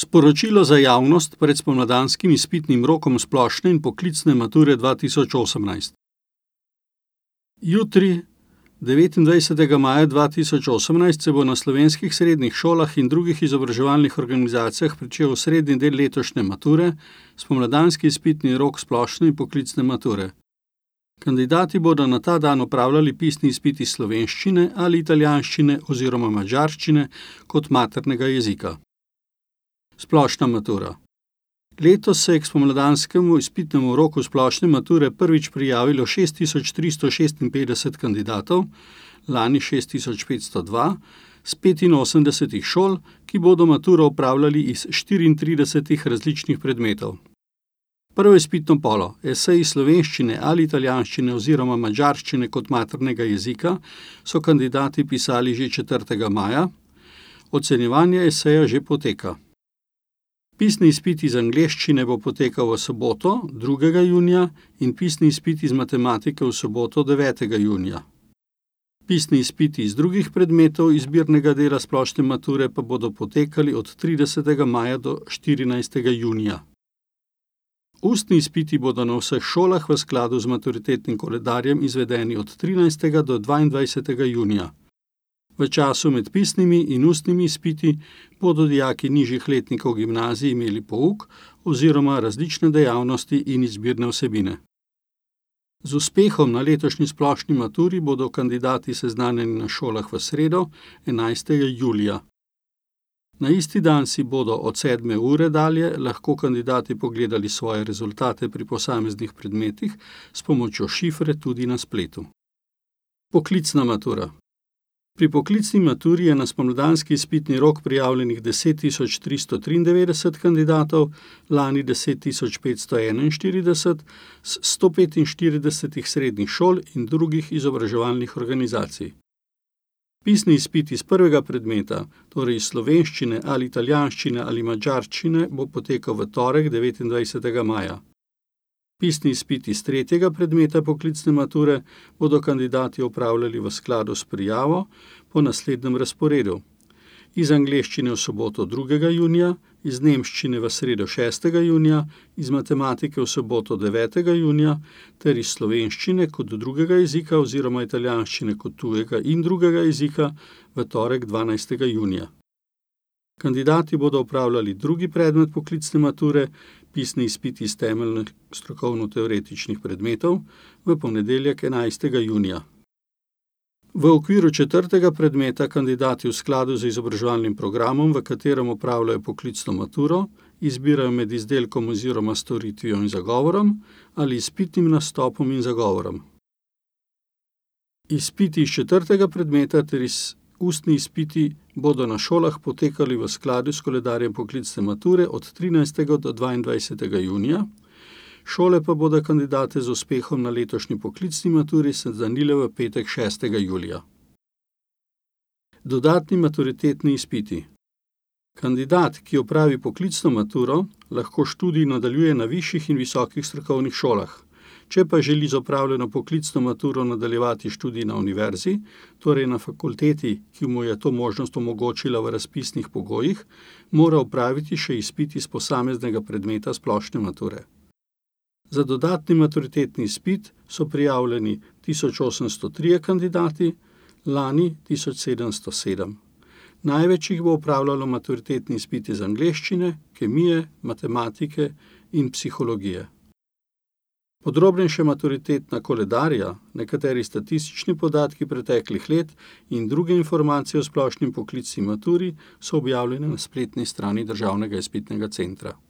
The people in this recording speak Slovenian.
Sporočilo za javnost pred spomladanskim izpitnim rokom splošne in poklicne mature 2018. Jutri, 29. maja 2018, se bo na slovenskih srednjih šolah in drugih izobraževalnih organizacijah pričel srednji del letošnje mature, spomladanski izpitni rok splošne in poklicne mature. Kandidati bodo na ta dan opravljali pisni izpit iz slovenščine ali italijanščine oziroma madžarščine kot maternega jezika. Splošna matura. Letos se je k spomladanskemu izpitnemu roku splošne mature prvič prijavilo 6356 kandidatov, lani 6502, z 85 šol, ki bodo maturo opravljali iz 34 različnih predmetov. Prvo izpitno polo, esej iz slovenščine ali italijanščine oziroma madžarščine kot maternega jezika, so kandidati pisali že 4. maja, ocenjevanje eseja že poteka. Pisni izpit iz angleščine bo potekal v soboto, 2. junija, in pisni izpit iz matematike v soboto, 9. junija. Pisni izpiti iz drugih predmetov izbirnega dela splošne mature pa bodo potekali od 30. maja do 14. junija. Ustni izpiti bodo na vseh šolah v skladu z maturitetnim koledarjem izvedeni od 13. do 22. junija. V času med pisnimi in ustnimi izpiti bodo dijaki nižjih letnikov gimnazij imeli pouk oziroma različne dejavnosti in izbirne vsebine. Z uspehom na letošnji splošni maturi bodo kandidati seznanjeni na šolah v sredo, 11. julija. Na isti dan si bodo od 7. ure dalje lahko kandidati pogledali svoje rezultate pri posameznih predmetih s pomočjo šifre tudi na spletu. Poklicna matura. Pri poklicni maturi je na spomladanski izpitni rok prijavljenih 10.393 kandidatov, lani 10.541 z 145 srednjih šol in drugih izobraževalnih organizacij. Pisni izpit iz prvega predmeta, torej iz slovenščine ali italijanščine ali madžarščine, bo potekal v torek, 29. maja. Pisni izpit iz tretjega predmeta poklicne mature bodo kandidati opravljali v skladu s prijavo po naslednjem razporedu. Iz angleščine v soboto 2. junija, iz nemščine v sredo 6. junija, iz matematike v soboto 9. junija ter iz slovenščine kot drugega jezika oziroma italijanščine kot tujega in drugega jezika v torek 12. junija. Kandidati bodo opravljali drugi predmet poklicne mature, pisni izpit iz temeljnih strokovno-teoretičnih predmetov, v ponedeljek 11. junija. V okviru 4. predmeta kandidati v skladu z izobraževalnim programom, v katerem opravljajo poklicno maturo, izbirajo med izdelkom oziroma storitvijo in zagovorom ali izpitnim nastopom in zagovorom. Izpiti iz 4. predmeta ter ustni izpiti bodo na šolah potekali v skladu s koledarjem poklicne mature od 13. do 22. junija, šole pa bodo kandidate z uspehom na letošnji poklicni maturi seznanile v petek 6. julija. Dodatni maturitetni izpiti. Kandidat, ki opravi poklicno maturo, lahko študij nadaljuje na višjih in visokih strokovnih šolah. Če pa želi z opravljeno poklicno maturo nadaljevati študij na univerzi, torej na fakulteti, ki mu je to možnost omogočila v razpisnih pogojih, mora opraviti še izpit iz posameznega predmeta splošne mature. Za dodatni maturitetni izpit so prijavljeni 1803 kandidati, lani 1707. Največ jih bo opravljalo maturitetni izpit iz angleščine, kemije, matematike in psihologije. Podrobnejše maturitetna koledarja, nekateri statistični podatki preteklih let in druge informacije o splošni poklicni maturi so objavljene na spletni strani Državnega izpitnega centra.